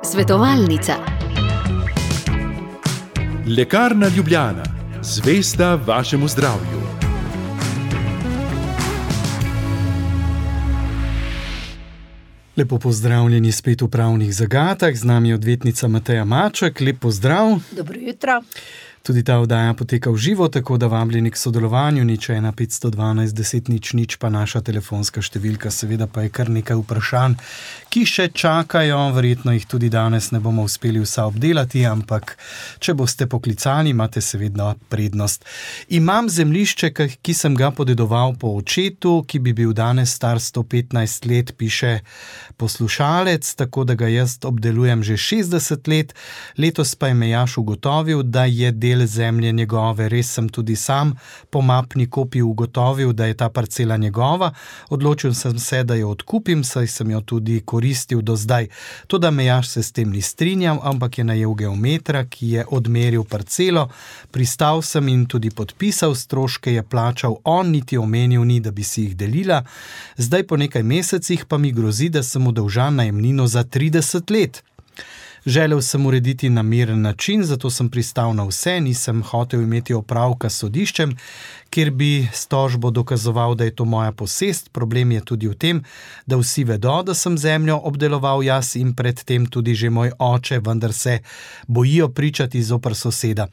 Svetovalnica. Lekarna Ljubljana, zvesta vašemu zdravju. Lepo pozdravljeni spet v Pravnih zagatah, z nami je odvetnica Mateja Maček. Lep pozdrav. Dobro jutro. Tudi ta oddaja poteka v živo, tako da vabljeni k sodelovanju, 01 512 10 00, pa naša telefonska številka, seveda pa je kar nekaj vprašanj, ki še čakajo, verjetno jih tudi danes ne bomo uspeli vsa obdelati, ampak če boste poklicali, imate seveda prednost. Imam zemljišče, ki sem ga podedoval po očetu, ki bi bil danes star 115 let, piše poslušalec, tako da ga jaz obdelujem že 60 let, letos pa je Mejaš ugotovil, da je del zemlje njegove. Res sem tudi sam po mapni kopiji ugotovil, da je ta parcela njegova. Odločil sem se, da jo odkupim, saj sem jo tudi koristil do zdaj. Toda Mejaš se s tem ni strinjal, ampak je najel geometra, ki je odmeril parcelo. Pristal sem in tudi podpisal, stroške je plačal on, niti omenil ni, da bi si jih delila. Zdaj po nekaj mesecih pa mi grozi, da sem mu dolžan najemnino za 30 let. Želel sem urediti na miren način, zato sem pristal na vse, nisem hotel imeti opravka s sodiščem, kjer bi s tožbo dokazoval, da je to moja posest. Problem je tudi v tem, da vsi vedo, da sem zemljo obdeloval jaz in predtem tudi že moj oče, vendar se bojijo pričati zoper soseda.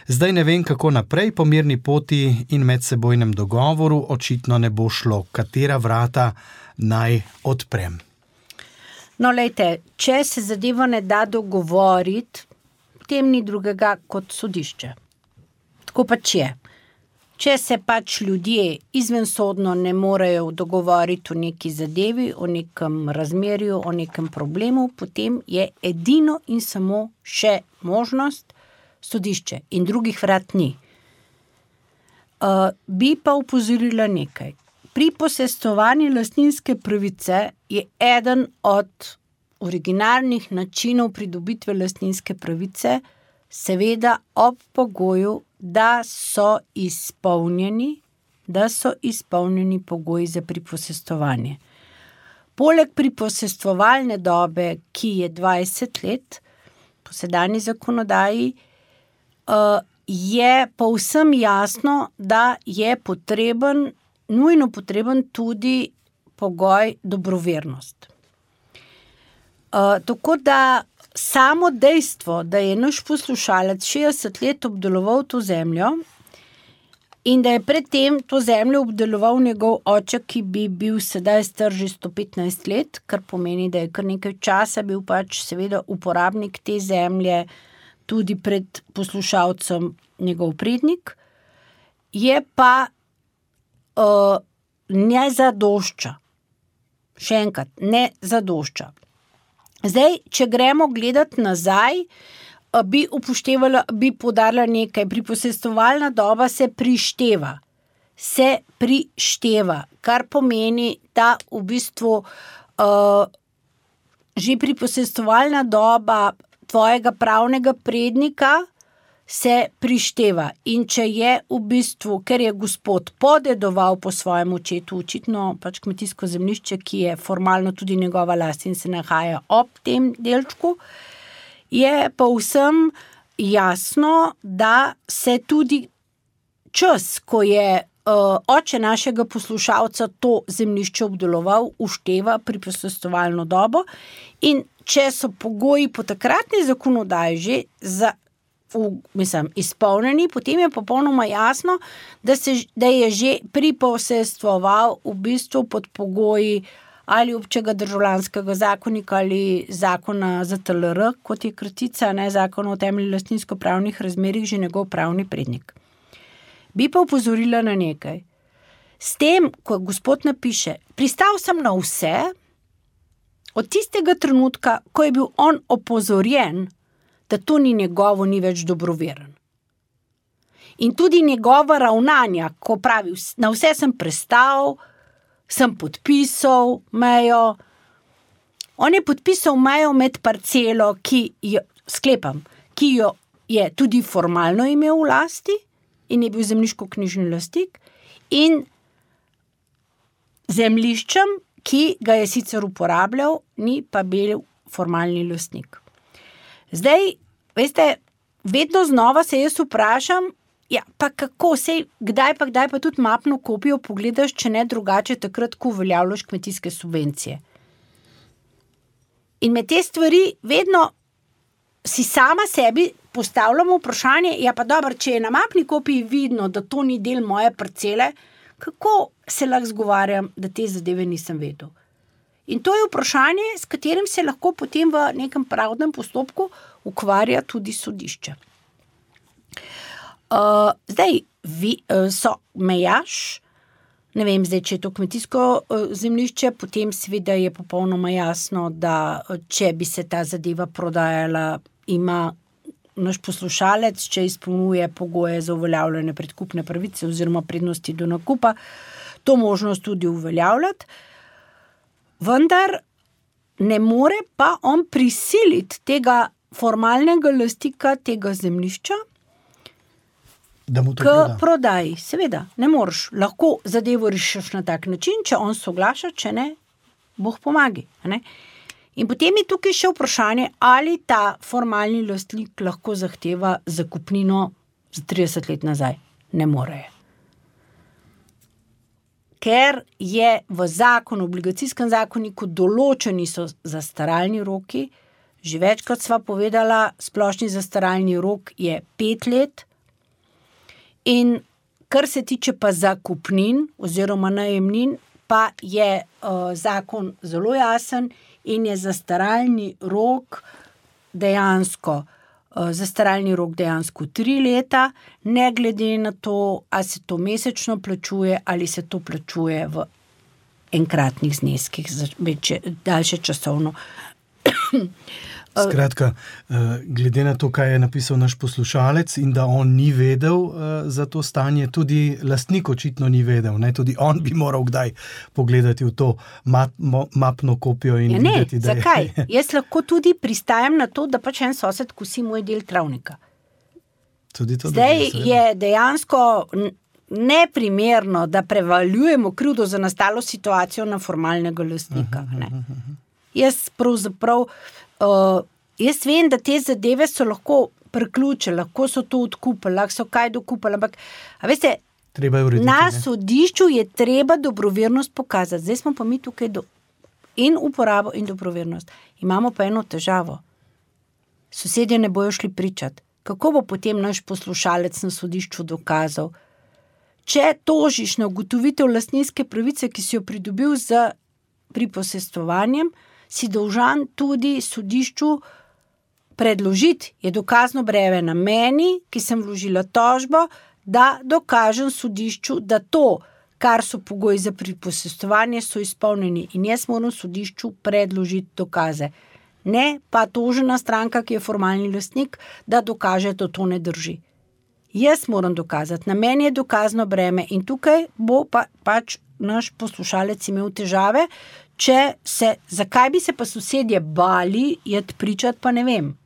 Zdaj ne vem, kako naprej, po mirni poti in medsebojnem dogovoru očitno ne bo šlo. Katera vrata naj odprem? No, lejte, če se zadeva ne da dogovoriti, potem ni drugega kot sodišče. Tako pač je. Če se pač ljudje izvensodno ne morejo dogovoriti o neki zadevi, o nekem razmerju, o nekem problemu, potem je edino in samo še možnost sodišče in drugih vrat ni. Bi pa opozorila nekaj. Pri posestovanju lastninske pravice je eden od originalnih načinov pridobitve lastninske pravice, seveda ob pogoju, da so izpolnjeni pogoji za priposestovanje. Poleg priposestovalne dobe, ki je 20 let, po sedanji zakonodaji, je povsem jasno, da je nujno potreben tudi pogoj dobrovernost. Tako da samo dejstvo, da je naš poslušalec 60 let obdeloval to zemljo in da je predtem to zemljo obdeloval njegov oče, ki bi bil sedaj star že 115 let, kar pomeni, da je kar nekaj časa bil pač seveda uporabnik te zemlje, tudi pred poslušalcem njegov prednik, je pa ne zadošča. Še enkrat, ne zadošča. Zdaj, če gremo gledati nazaj, bi poudarila nekaj. Priposestovalna doba se prišteva. Kar pomeni, da v bistvu že priposestovalna doba tvojega pravnega prednika se prišteva. In če je v bistvu, ker je gospod podedoval po svojem očetu, očitno pač kmetijsko zemljišče, ki je formalno tudi njegova last in se nahaja ob tem delčku, je povsem jasno, da se tudi čas, ko je oče našega poslušalca to zemljišče obdeloval, ušteva priposestovalno dobo, in če so pogoji po takratni zakonodaji že izpolnjeni, potem je popolnoma jasno, da je že priposestoval v bistvu pod pogoji ali občega državljanskega zakonika ali zakona ZTLR, kot je kratica, zakon o temeljnih lastninsko-pravnih razmerjih, že njegov pravni prednik. Bi pa opozorila na nekaj. S tem, ko gospod napiše, pristal sem na vse, od tistega trenutka, ko je bil on opozorjen, da to ni njegovo, ni več dobroveren. In tudi njegova ravnanja, ko pravi, na vse sem prestal, sem podpisal mejo. On je podpisal mejo med parcelo, ki jo je tudi formalno imel v lasti in je bil zemljiško-knjižni lastnik, in zemljiščem, ki ga je sicer uporabljal, ni pa bil formalni lastnik. Zdaj, veste, vedno znova se jaz vprašam, ja, pa kako, kdaj pa tudi mapno kopijo pogledaš, če ne drugače takrat, ko uveljavljaš kmetijske subvencije. In med te stvari vedno si sama sebi postavljamo vprašanje, ja pa dobro, če je na mapni kopiji vidno, da to ni del moje parcele, kako se lahko zgovarjam, da te zadeve nisem vedel. In to je vprašanje, s katerim se lahko potem v nekem pravdnem postopku ukvarja tudi sodišče. Zdaj, so mejaš, ne vem zdaj, če je to kmetijsko zemljišče, potem seveda je popolnoma jasno, da če bi se ta zadeva prodajala, ima naš poslušalec, če izpolnjuje pogoje za uveljavljanje predkupne pravice oziroma prednosti do nakupa, to možnost tudi uveljavljati, vendar ne more pa on prisiliti tega formalnega lastnika tega zemljišča k prodaji. Seveda, ne moreš. Lahko zadevo rešiš na tak način, če on soglaša, če ne, Bog pomagi. Ne? In potem je tukaj še vprašanje, ali ta formalni lastnik lahko zahteva zakupnino za 30 let nazaj. Ne more. Ker je v zakonu, obligacijskem zakoniku določeni so zastaralni roki, že večkrat sva povedala, splošni zastaralni rok je 5 let, in kar se tiče pa zakupnin oziroma najemnin, pa je zakon zelo jasen in je zastaralni rok dejansko 3 leta, ne glede na to, ali se to mesečno plačuje ali se to plačuje v enkratnih zneskih za daljše časovno. Skratka, glede na to, kaj je napisal naš poslušalec in da on ni vedel za to stanje, tudi lastnik očitno ni vedel, ne? Tudi on bi moral kdaj pogledati v to mapno kopijo in videti, da zakaj? Jaz lahko tudi pristajam na to, da pač en sosed kosi moj del travnika. Zdaj je dejansko neprimerno, da prevaljujemo krivdo za nastalo situacijo na formalnega lastnika. Jaz pravzaprav jaz vem, da te zadeve so lahko priključene, lahko so to odkupili, lahko so kaj dokupili, ampak a veste, na sodišču je treba dobrovernost pokazati. Zdaj smo pa mi tukaj in uporabo in dobrovernost. Imamo pa eno težavo. Sosedje ne bojo šli pričati. Kako bo potem naš poslušalec na sodišču dokazal? Če tožiš na ugotovitev lastninske pravice, ki si jo pridobil z priposestvovanjem, si dolžan tudi sodišču predložiti, je dokazno breme na meni, ki sem vložila tožbo, da dokažem sodišču, da to, kar so pogoji za priposestvovanje, so izpolnjeni in jaz moram sodišču predložiti dokaze. Ne pa tožena stranka, ki je formalni lastnik, da dokaže, da to ne drži. Jaz moram dokazati, na meni je dokazno breme in tukaj bo pač naš poslušalec imel težave, zakaj bi se pa sosedje bali jeti pričati, pa ne vem.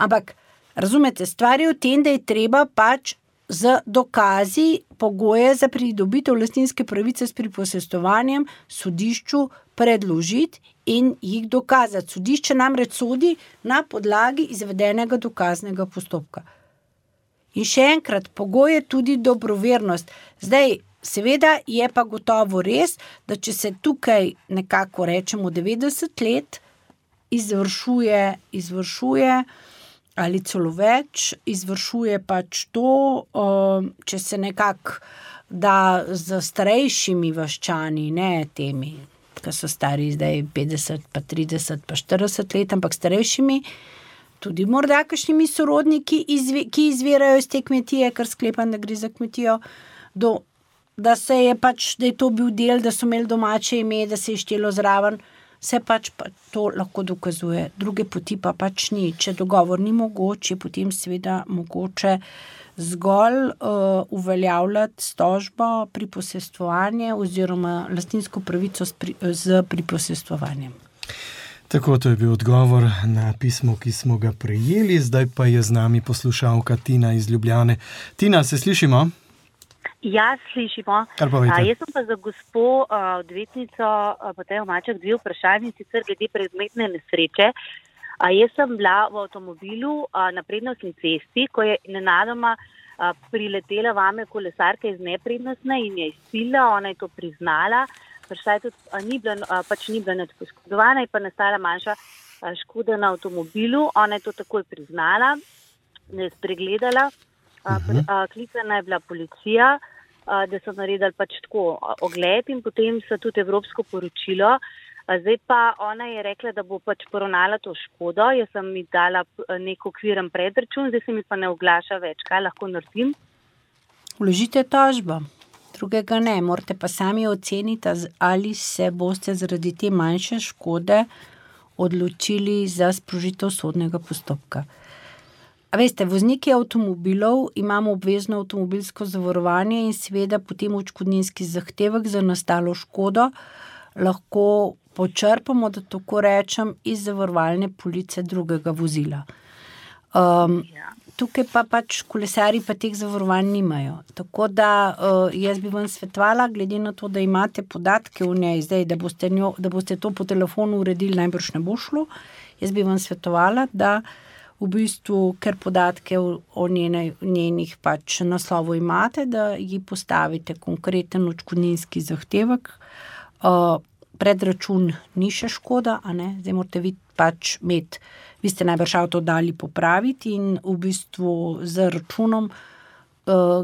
Ampak, razumete, stvar je v tem, da je treba pač z dokazi pogoje za pridobitev lastninske pravice s priposestvovanjem sodišču predložiti in jih dokazati. Sodišče namreč sodi na podlagi izvedenega dokaznega postopka. In še enkrat, pogoj je tudi dobrovernost. Zdaj, seveda je pa gotovo res, da če se tukaj nekako rečemo 90 let izvršuje ali celo več, izvršuje pač to, če se nekako da z starejšimi vaščani, ne temi, ki so stari zdaj 50, pa 30, pa 40 let, ampak starejšimi, tudi morda kakšnimi sorodniki, ki izvirajo iz te kmetije, kar sklepam, da gre za kmetijo, da je to bil del, da so imeli domače ime, da se je štelo zraven, se pač to lahko dokazuje. Druge poti pa pač ni. Če dogovor ni mogoče, potem seveda mogoče zgolj uveljavljati s tožbo priposestvovanje oziroma lastninsko pravico z priposestvovanjem. Tako, to je bil odgovor na pismo, ki smo ga prejeli. Zdaj pa je z nami poslušalka Tina iz Ljubljane. Tina, se slišimo? Ja, slišimo. Jaz sem pa za gospo odvetnico Matejo Maček 2 vprašanje, sicer glede predmetne nesreče. Jaz sem bila v avtomobilu na prednostni cesti, ko je nenadoma priletela vame kolesarka iz neprednostne in je izsilila, ona je to priznala, ni bila nič poškodovana, je pa nastala manjša škoda na avtomobilu, ona je to takoj priznala, ne je spregledala, klicana je bila policija, da so naredili pač tako ogled in potem so tudi evropsko poročilo. Zdaj pa ona je rekla, da bo pač poravnala to škodo, jaz sem mi dala nek okviren predračun, zdaj se mi pa ne oglaša več, kaj lahko naredim? Vložite tožbo, drugega ne, morate pa sami oceniti, ali se boste zaradi te manjše škode odločili za sprožitev sodnega postopka. A veste, vozniki avtomobilov imamo obvezno avtomobilsko zavarovanje in seveda potem odškodninski zahtevek za nastalo škodo lahko počrpamo, da tako rečem, iz zavarovalne police drugega vozila. Tukaj pa pač kolesarji pa teh zavarovanj nimajo. Tako da jaz bi vam svetovala, glede na to, da imate podatke o njej zdaj, da boste to po telefonu uredili, najbrž ne bo šlo. Jaz bi vam svetovala, da v bistvu, ker podatke o njenih pač naslovu imate, da ji postavite konkreten odškodninski zahtevek. Predračun ni še škoda, a ne? Zdaj morate vi pač imeti, vi ste najbrž avto dali popraviti in v bistvu z računom,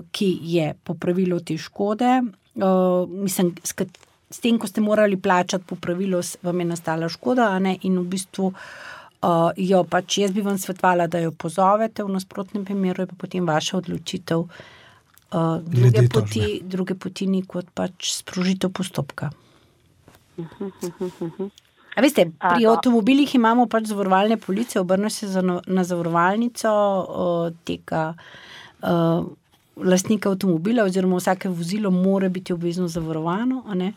ki je popravilo te škode, mislim, s tem, ko ste morali plačati popravilo, vam je nastala škoda, a ne? In v bistvu jo pač, jaz bi vam svetovala, da jo pozovete, v nasprotnem primeru je pa potem vaša odločitev, druge poti ni kot pač sprožitev postopka. A veste, pri avtomobilih imamo pač zavarovalne police, obrne se na zavarovalnico tega lastnika avtomobila oziroma vsake vozilo mora biti obvezno zavarovano, a ne?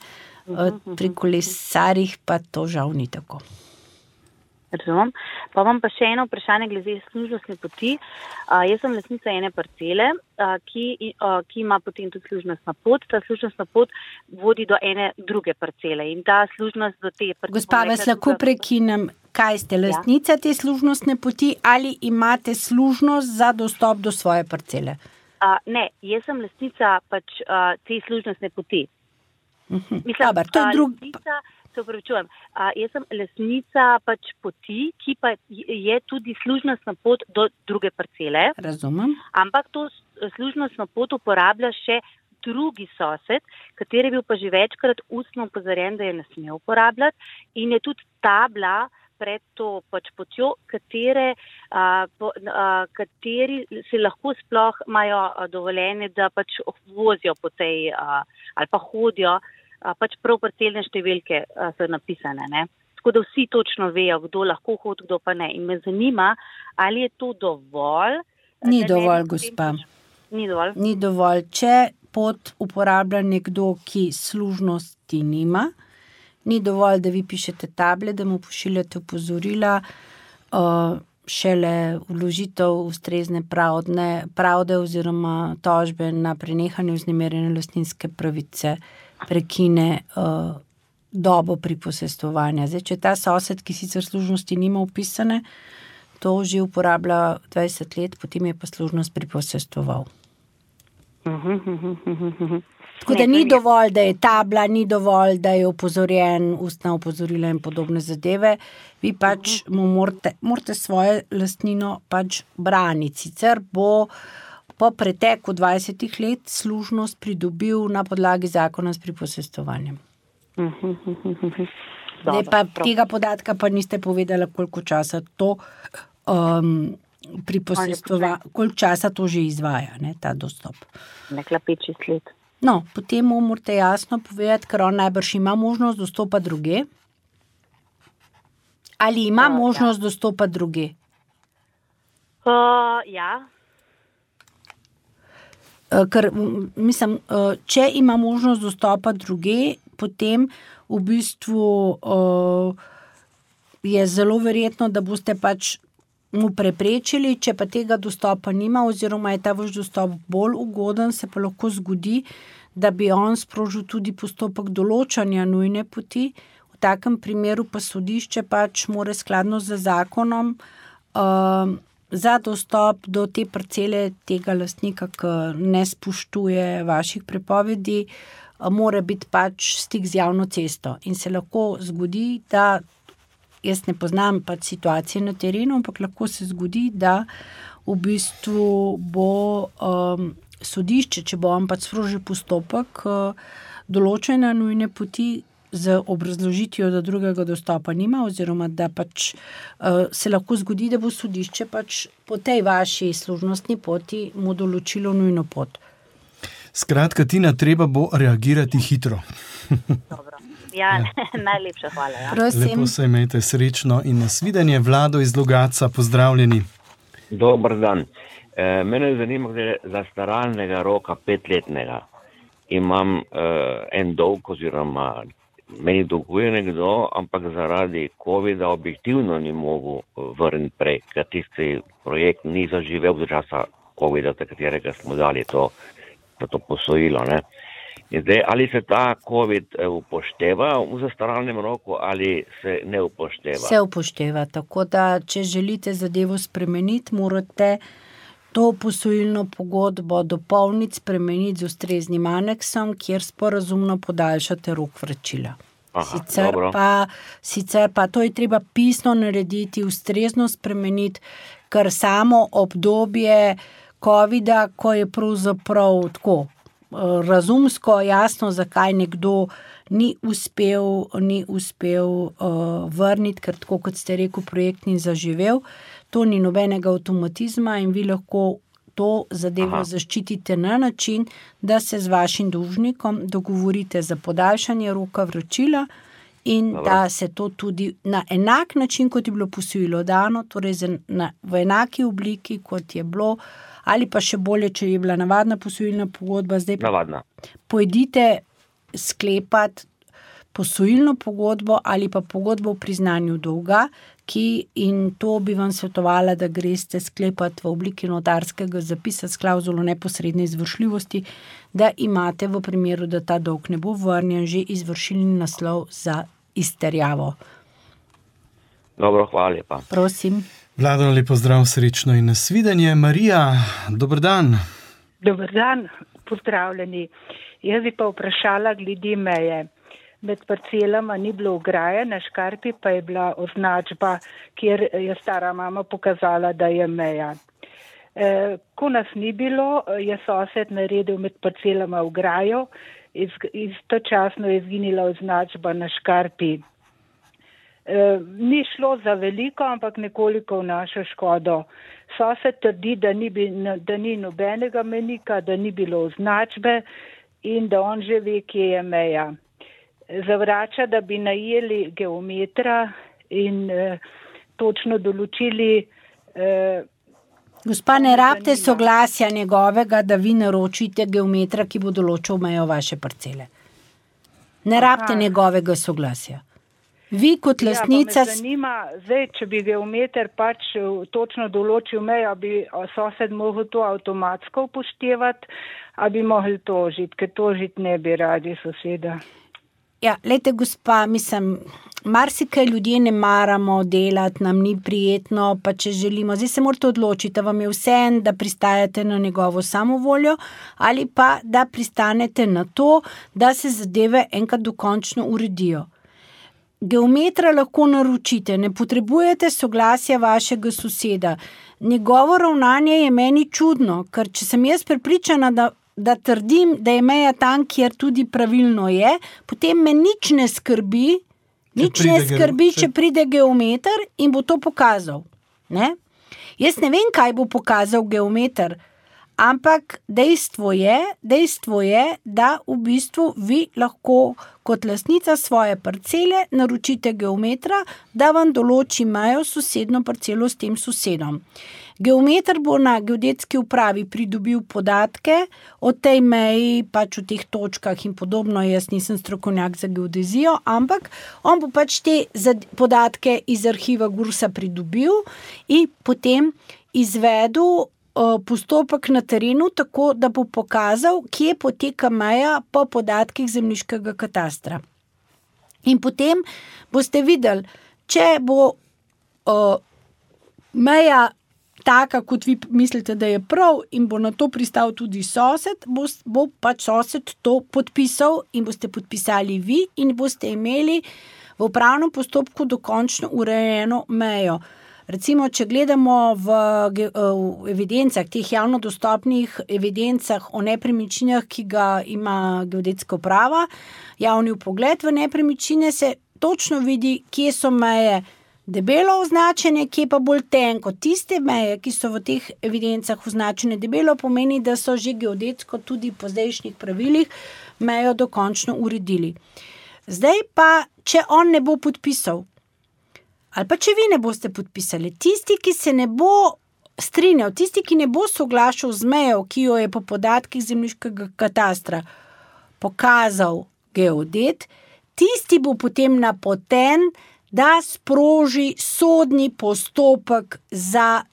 Pri kolesarjih pa to žal ni tako. Razumem. Pa vam pa še eno vprašanje glede služnostne poti. Jaz sem lastnica ene parcele, ki ima potem tudi služnostna pot. Ta služnostna pot vodi do ene druge parcele in ta služnost do te parcele. Gospa, vas lahko prekinem, kaj ste lastnica te služnostne poti ali imate služnost za dostop do svoje parcele? Ne, jaz sem lastnica pač te služnostne poti. Mislim, Dobar, to je lastnica, se upravičujem, jaz sem lastnica pač poti, ki pa je tudi služnostna pot do druge parcele. Razumem. Ampak to služnostno pot uporablja še drugi sosed, kateri je bil pa že večkrat ustno opozorjen, da je ne sme uporabljati in je tudi tabla pred to pač potjo, kateri se lahko sploh imajo dovoljenje, da pač vozijo po tej ali pa hodijo, pač prav parcelne številke so napisane, ne. Tako da vsi točno vejo, kdo lahko hodi, kdo pa ne. In me zanima, ali je to dovolj? Ni dovolj, gospa. Ni dovolj? Ni dovolj. Če pot uporablja nekdo, ki služnosti nima, ni dovolj, da vi pišete table, da mu pošiljate opozorila, šele vložitev ustrezne pravde oziroma tožbe na prenehanje vznemirjene lastninske pravice prekine dobo priposestvovanja. Zdaj, če ta sosed, ki sicer služnosti nima upisane, to že uporablja 20 let, potem je pa služnost priposestvoval. Tako da ni dovolj, da je tabla, ni dovolj, da je opozorjen, ustna opozorila in podobne zadeve. Vi pač mu morate svojo lastnino pač braniti. Sicer bo po preteku 20 let služnost pridobil na podlagi zakona s priposestvovanjem. Zdaj pa tega podatka pa niste povedala, koliko časa to koliko časa to že izvaja, ne, ta dostop. Nekla 5-6 let. No, potem mu morate jasno povedati, ker on najbrž ima možnost dostopa druge. Ali ima možnost dostopa druge? Ja. Ker, mislim, če ima možnost dostopa druge, potem v bistvu je zelo verjetno, da boste pač mu preprečili, če pa tega dostopa nima oziroma je ta vaš dostop bolj ugoden, se pa lahko zgodi, da bi on sprožil tudi postopek določanja nujne poti. V takem primeru pa sodišče pač mora skladno z zakonom za dostop do te parcele tega lastnika, ki ne spoštuje vaših prepovedi, mora biti pač stik z javno cesto. In se lahko zgodi, da jaz ne poznam pač situacije na terenu, ampak lahko se zgodi, da v bistvu bo sodišče, če bo on pač sprožil postopek določene nujne poti z obrazložitvijo, da drugega dostopa nima, oziroma da pač se lahko zgodi, da bo sodišče pač po tej vaši služnostni poti mu določilo nujno pot. Skratka, Tina, treba bo reagirati hitro. Dobro. Ja, najlepša hvala. Ja. Lepo se imejte, srečno in nasvidenje. Vlado iz Logatca, pozdravljeni. Dobar dan. Mene zanima, glede zastaralnega roka 5-letnega. Imam en dolg, oziroma meni dolguje nekdo, ampak zaradi COVID-a objektivno ni mogel vrniti prej, ker tisti projekt ni zaživel do časa COVID-a, katerega smo dali to posojilo, ne. In zdaj, ali se ta COVID upošteva v zastaralnem roku ali se ne upošteva? Se upošteva, tako da, če želite zadevo spremeniti, morate to posojilno pogodbo dopolniti, spremeniti z ustreznim aneksom, kjer sporazumno podaljšate rok vračila. Sicer pa to je treba pisno narediti, ustrezno spremeniti, ker samo obdobje COVID-a, ko je pravzaprav tako razumsko jasno, zakaj nekdo ni uspel vrniti, ker tako, kot ste rekel, projekt ni zaživel. To ni nobenega avtomatizma in vi lahko to zadevo zaščitite na način, da se z vašim dolžnikom dogovorite za podaljšanje roka vračila in da se to tudi na enak način, kot je bilo posojilo dano, torej v enaki obliki, kot je bilo, ali pa še bolje, če je bila navadna posojilna pogodba, zdaj pa pojdite sklepati posojilno pogodbo ali pa pogodbo o priznanju dolga, in to bi vam svetovala, da greste sklepati v obliki notarskega zapisa s klavzulo neposredne izvršljivosti, da imate v primeru, da ta dolg ne bo vrnjen, že izvršilni naslov za izterjavo. Dobro, hvala lepa. Prosim. Vlado, lepo zdrav, srečno in nasvidenje. Marija, dober dan. Dober dan, pozdravljeni. Jaz bi pa vprašala glede meje. Med parcelama ni bilo ograje, na škarpi pa je bila označba, kjer je stara mama pokazala, da je meja. Ko nas ni bilo, je sosed naredil med parcelama ograjo, istočasno je izginila označba na škarpi. Ni šlo za veliko, ampak nekoliko v našo škodo. Sosed trdi, da ni nobenega menika, da ni bilo označbe in da on že ve, kje je meja. Zavrača, da bi najeli geometra in točno določili. Gospa, ne rabite soglasja njegovega, da vi naročite geometra, ki bo določil mejo vaše parcele. Ne rabite njegovega soglasja. Vi kot lastnica... Me zanima, zdaj, če bi geometer pač točno določil mejo, bi sosed mogel to avtomatsko upoštevati, a bi mogli tožiti, ker tožiti ne bi radi soseda. Ja, lejte, gospa, marsikaj ljudje ne maramo delati, nam ni prijetno, pa če želimo, zdaj se morate odločiti, da vam je vseeno, da pristajate na njegovo samovoljo ali pa, da pristanete na to, da se zadeve enkrat dokončno uredijo. Geometra lahko naročite, ne potrebujete soglasja vašega soseda. Njegovo ravnanje je meni čudno, ker če sem jaz prepričana, da trdim, da je meja tam, kjer tudi pravilno je, potem me nič ne skrbi, če pride geometer in bo to pokazal. Ne? Jaz ne vem, kaj bo pokazal geometer, Ampak dejstvo je, da v bistvu vi lahko kot lastnica svoje parcele naročite geometra, da vam določi mejo sosedno parcelo s tem sosedom. Geometer bo na geodetski upravi pridobil podatke o tej meji, pač o teh točkah in podobno. Jaz nisem strokovnjak za geodezijo, ampak on bo pač te podatke iz arhiva GURS-a pridobil in potem izvedel postopek na terenu, tako da bo pokazal, kje poteka meja po podatkih zemljiškega katastra. In potem boste videli, če bo meja taka, kot vi mislite, da je prav in bo na to pristal tudi sosed, bo pač sosed to podpisal in boste podpisali vi in boste imeli v upravnem postopku dokončno urejeno mejo. Recimo, če gledamo v evidencah, teh javno dostopnih evidencah o nepremičninah, ki ga ima geodetska uprava, javni vpogled v nepremičnine, se točno vidi, kje so meje debelo označene, kje pa bolj tenko. Tiste meje, ki so v teh evidencah označene debelo, pomeni, da so že geodetsko tudi po zdajšnjih pravilih mejo dokončno uredili. Zdaj pa, če on ne bo podpisal, ali pa če vi ne boste podpisali, tisti, ki se ne bo strinjal, tisti, ki ne bo soglašal z mejo, ki jo je po podatkih zemljiškega katastra pokazal geodet, tisti bo potem napoten, da sproži sodni postopek za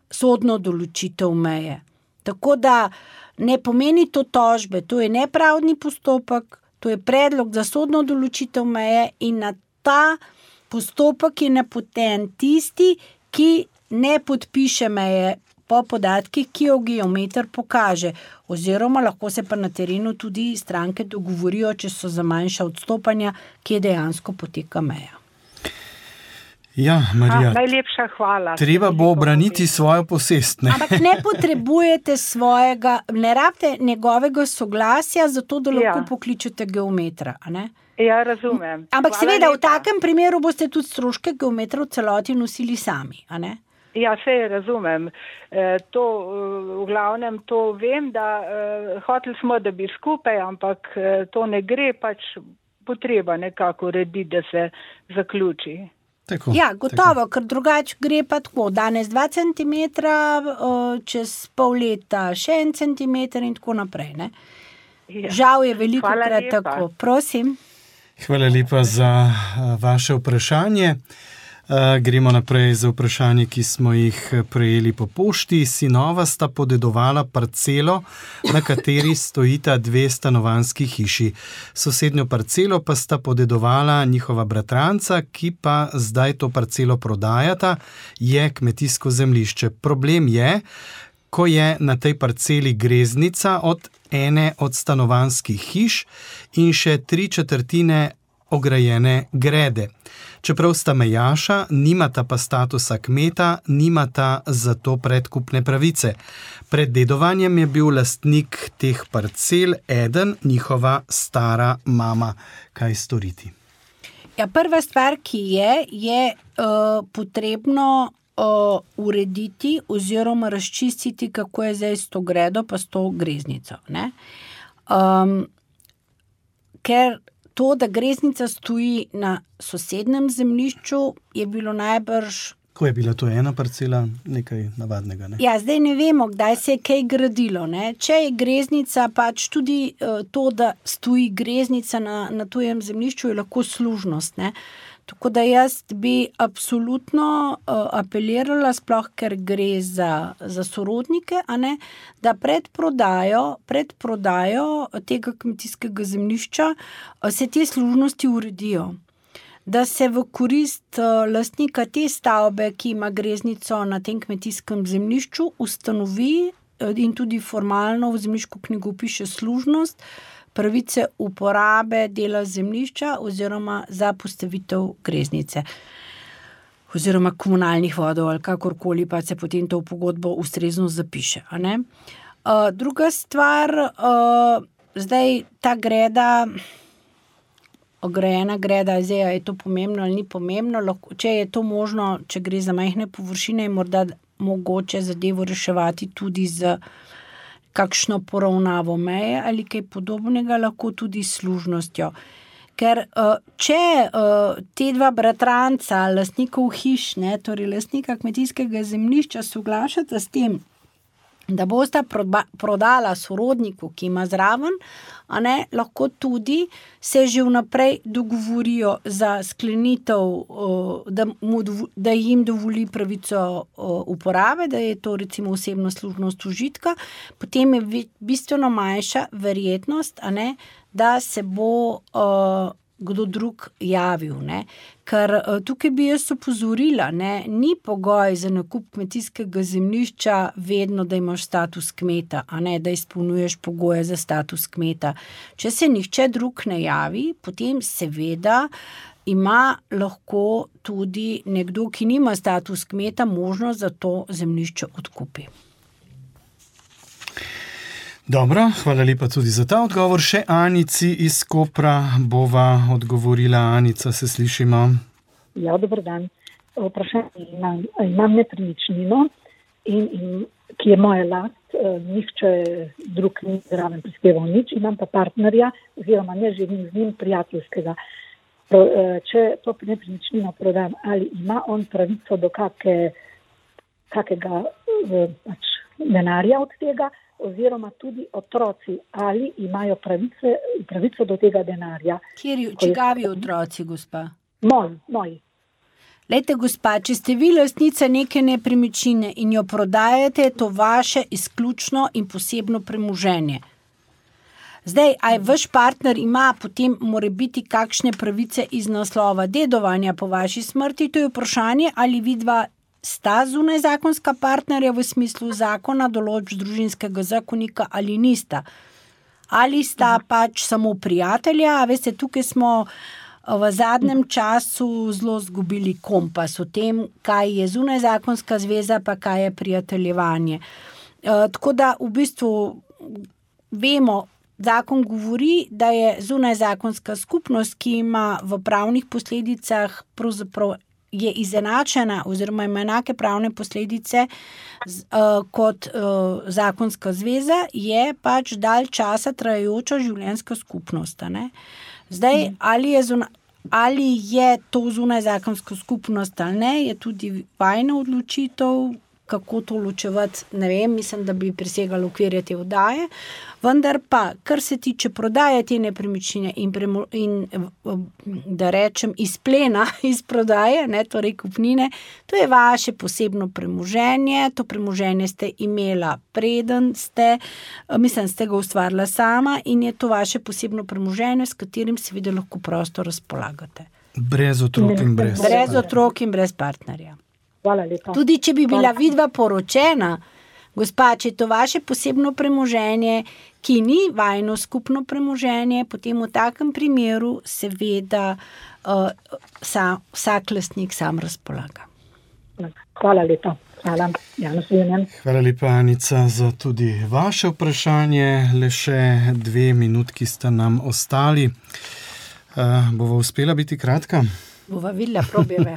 sodno določitev meje. Tako da ne pomeni to tožbe, to je nepravdni postopek, to je predlog za sodno določitev meje in na ta postopek je napoten tisti, ki ne podpiše meje po podatkih, ki jo geometer pokaže. Oziroma lahko se pa na terenu tudi stranke dogovorijo, če so za manjša odstopanja, kje dejansko poteka meja. Ja, Marija, najlepša hvala. Treba bo obraniti svojo posest. Ampak ne potrebujete ne rabite njegovega soglasja, zato da lahko pokličete geometra, a ne? Ja, razumem. Ampak seveda, v takem primeru boste tudi stroške geometra v celoti nosili sami, a ne? Ja, sej razumem. To, v glavnem to vem, da hoteli smo, da bi skupaj, ampak to ne gre, pač potreba nekako urediti, da se zaključi. Tako, ja, gotovo, ker drugače gre pa tako, danes 2 centimetra, čez pol leta še 1 centimeter in tako naprej, ne? Ja. Žal je veliko krat tako. Prosim. Hvala lepa za vaše vprašanje. Gremo naprej za vprašanje, ki smo jih prejeli po pošti. Sinova sta podedovala parcelo, na kateri stojita 2 stanovanjski hiši. Sosednjo parcelo pa sta podedovala njihova bratranca, ki pa zdaj to parcelo prodajata, je kmetijsko zemljišče. Problem je, ko je na tej parceli greznica od ene od stanovanjskih hiš in še 3/4 ograjene grede. Čeprav sta mejaša, nimata pa statusa kmeta, nimata zato predkupne pravice. Pred dedovanjem je bil lastnik teh parcel eden, njihova stara mama. Kaj storiti? Ja, prva stvar, ki je potrebno urediti oziroma razčistiti, kako je zdaj s to gredo pa s to greznico. Ne? Ker to, da greznica stoji na sosednem zemljišču, je bilo najbrž... Ko je bila to ena parcela, nekaj navadnega, ne? Ja, zdaj ne vemo, kdaj se je kaj gradilo, ne? Če je greznica, pač tudi to, da stoji greznica na tujem zemljišču, je lahko služnost, ne? Tako da jaz bi absolutno apelirala, sploh ker gre za sorodnike, a ne, da pred prodajo tega kmetijskega zemljišča se te služnosti uredijo. Da se v korist lastnika te stavbe, ki ima greznico na tem kmetijskem zemljišču, ustanovi in tudi formalno v zemljiško knjigo piše služnost, pravice uporabe dela zemljišča oziroma za postavitev greznice oziroma komunalnih vodov ali kakorkoli, pa se potem to v pogodbo ustrezno zapiše. A ne? Druga stvar, zdaj ta greda, ograjena greda, zdaj je to pomembno ali ni pomembno, če je to možno, če gre za majhne površine, je morda mogoče zadevo reševati tudi z kakšno poravnavo meje ali kaj podobnega, lahko tudi s služnostjo. Ker če te dva bratranca, lastnikov hiš, torej lastnika kmetijskega zemljišča, soglašata s tem, da bosta prodala sorodniku, ki ima zraven, lahko tudi se že vnaprej dogovorijo za sklenitev, da jim dovoli pravico uporabe, da je to recimo osebna služnost užitka, potem je bistveno manjša verjetnost, da se bo kdo drug javil. Ker tukaj bi jaz opozorila, ni pogoj za nakup kmetijskega zemljišča vedno, da imaš status kmeta, da izpolnjuješ pogoje za status kmeta. Če se nihče drug ne javi, potem seveda ima lahko tudi nekdo, ki nima status kmeta, možnost za to zemljišče odkupi. Dobro, hvala lepa tudi za ta odgovor. Še Anici iz Kopra bova odgovorila. Anica, se slišimo? Ja, dober dan. Vprašanje imam nepremičnino, ki je moja last, nihče drug ni zraven prispeval nič, imam pa partnerja, oziroma ne živim z njim prijateljskega. Če to nepremičnino prodam, ali ima on pravico do kakega denarja od tega, oziroma tudi otroci, ali imajo pravico do tega denarja. Čigavi otroci, gospa? Moji. Lejte, gospa, če ste vi lastnica neke nepremičnine in jo prodajate, je to vaše izključno in posebno premoženje. Zdaj, aj vaš partner ima potem morebiti kakšne pravice iz naslova dedovanja po vaši smrti, to je vprašanje, ali vidva sta zunaj zakonska partnerja v smislu zakona, določb družinskega zakonika ali nista. Ali sta pač samo prijatelja, veste, tukaj smo v zadnjem času zelo zgubili kompas o tem, kaj je zunaj zakonska zveza, pa kaj je prijateljevanje. Tako da v bistvu vemo, zakon govori, da je zunaj zakonska skupnost, ki ima v pravnih posledicah pravzaprav je izenačena oziroma ima enake pravne posledice kot zakonska zveza, je pač dalj časa trajajoča življenjska skupnost. Zdaj, ali je to zunaj zakonska skupnost ali ne, je tudi vajna odločitev, kako to ločevati, ne vem, mislim, da bi presegalo okvirje te oddaje, vendar pa, kar se tiče prodaje te nepremičnine in da rečem izplena iz prodaje, torej kupnine, to je vaše posebno premoženje, to premoženje ste imela preden ste ga ustvarila sama in je to vaše posebno premoženje, s katerim seveda lahko prosto razpolagate. Brez otrok in brez partnerja. Tudi če bi bila vidva poročena, gospa, če je to vaše posebno premoženje, ki ni vajno skupno premoženje, potem v takem primeru seveda vsak lastnik sam razpolaga. Hvala lepa. Hvala. Hvala lepa, Anica, za tudi vaše vprašanje. Le še 2 minutki sta nam ostali. Bova uspela biti kratka? Bova videla, probjeve.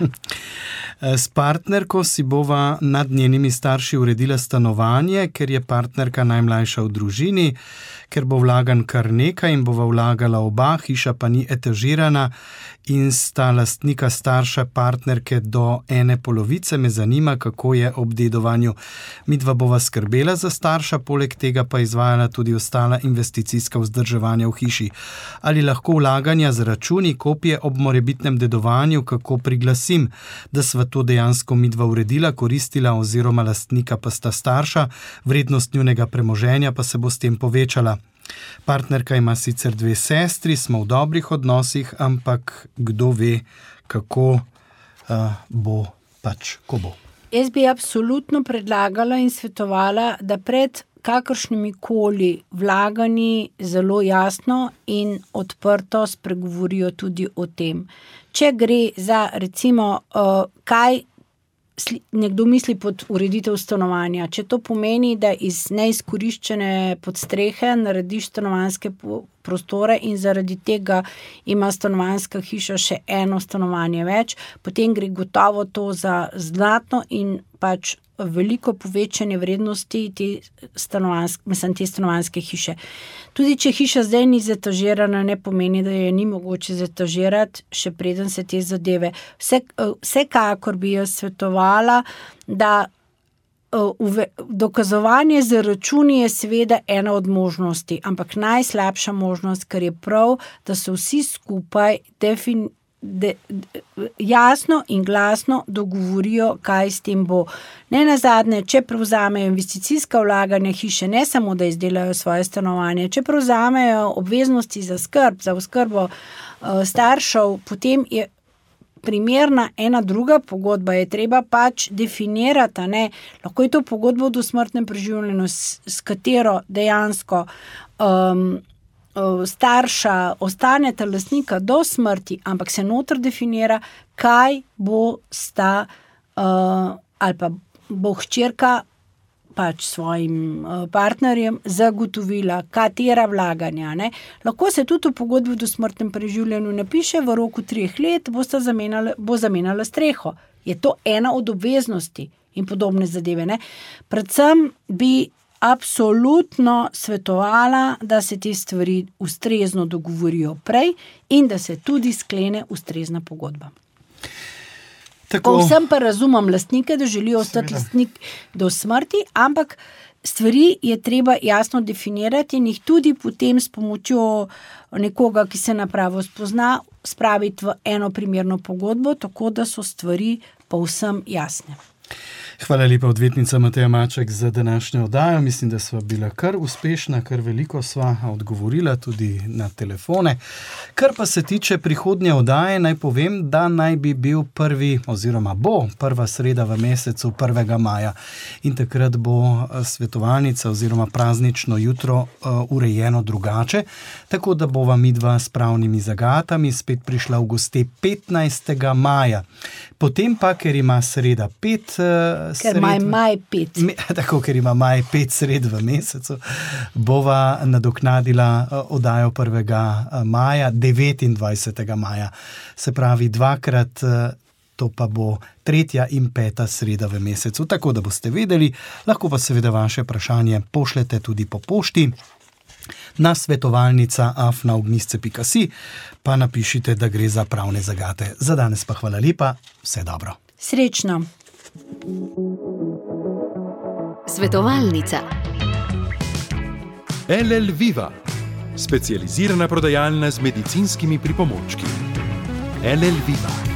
S partnerko si bova nad njenimi starši uredila stanovanje, ker je partnerka najmlajša v družini, ker bo vlagan kar nekaj in bova vlagala oba, hiša pa ni etažirana in sta lastnika starša partnerke do 1/2. Me zanima, kako je ob dedovanju. Midva bova skrbela za starša, poleg tega pa izvajala tudi ostala investicijska vzdrževanja v hiši. Ali lahko vlaganja z računi, kopije ob morebitnem dedovanju, kako priglasim, da sva to dejansko midva uredila, koristila oziroma lastnika pa sta starša, vrednost njunega premoženja pa se bo s tem povečala. Partnerka ima sicer 2 sestri, smo v dobrih odnosih, ampak kdo ve, kako bo pač, ko bo. Jaz bi absolutno predlagala in svetovala, da pred kakršnimi koli vlaganji zelo jasno in odprto spregovorijo tudi o tem. Če gre za recimo, kaj nekdo misli pod ureditev stanovanja, če to pomeni, da iz neizkoriščene podstrehe narediš stanovanjske prostore in zaradi tega ima stanovanjska hiša še eno stanovanje več, potem gre gotovo to za znatno in pač veliko povečanje vrednosti te stanovanjske hiše. Tudi če hiša zdaj ni zetažirana, ne pomeni, da je ni mogoče zetažirati, še preden se te zadeve. Vsekakor bi jaz svetovala, da dokazovanje z računi je seveda ena od možnosti, ampak najslabša možnost, ker je prav, da se vsi skupaj jasno in glasno dogovorijo, kaj s tem bo. Ne nazadnje, če prevzamejo investicijska vlaganja hiše, ne samo, da izdelajo svoje stanovanje, če prevzamejo obveznosti za oskrbo staršev, potem je primerna ena druga pogodba, je treba pač definirati, ne? Lahko je to pogodba o dosmrtnem preživljanju, s katero dejansko starša ostaneta lastnika do smrti, ampak se noter definira, kaj bo sta ali pa bo hčerka pač svojim partnerjem zagotovila, katera vlaganja. Ne? Lahko se tudi v pogodbi o dosmrtnem preživljanju napiše, v roku 3 let bo zamenjala streho. Je to ena od obveznosti in podobne zadeve. Ne? Predvsem bi absolutno svetovala, da se te stvari ustrezno dogovorijo prej in da se tudi sklene ustrezna pogodba. Povsem pa razumem lastnike, da želijo ostati lastnik do smrti, ampak stvari je treba jasno definirati in jih tudi potem s pomočjo nekoga, ki se na pravo spozna, spraviti v eno primerno pogodbo, tako da so stvari povsem jasne. Hvala lepa, odvetnica Mateja Maček, za današnjo oddajo. Mislim, da sva bila kar uspešna, kar veliko sva odgovorila tudi na telefone. Kar pa se tiče prihodnje oddaje, naj povem, da naj bi bil bo prva sreda v mesecu 1. maja in takrat bo svetovalnica oziroma praznično jutro urejeno drugače, tako da bova midva s pravnimi zagatami spet prišla v goste 15. maja. Potem pa, ker ima sreda 5 ker ima maj 5. Tako, ker ima maj 5 sred v mesecu, bova nadoknadila oddajo 1. maja, 29. maja. Se pravi, dvakrat, to pa bo 3. in 5. sreda v mesecu. Tako da boste vedeli, lahko pa seveda vaše vprašanje pošljete tudi po pošti na svetovalnica@ognjisce.si, pa napišite, da gre za pravne zagate. Za danes pa hvala lepa, vse dobro. Srečno. Svetovalnica. LL Viva, specializirana prodajalna z medicinskimi pripomočki. LL Viva.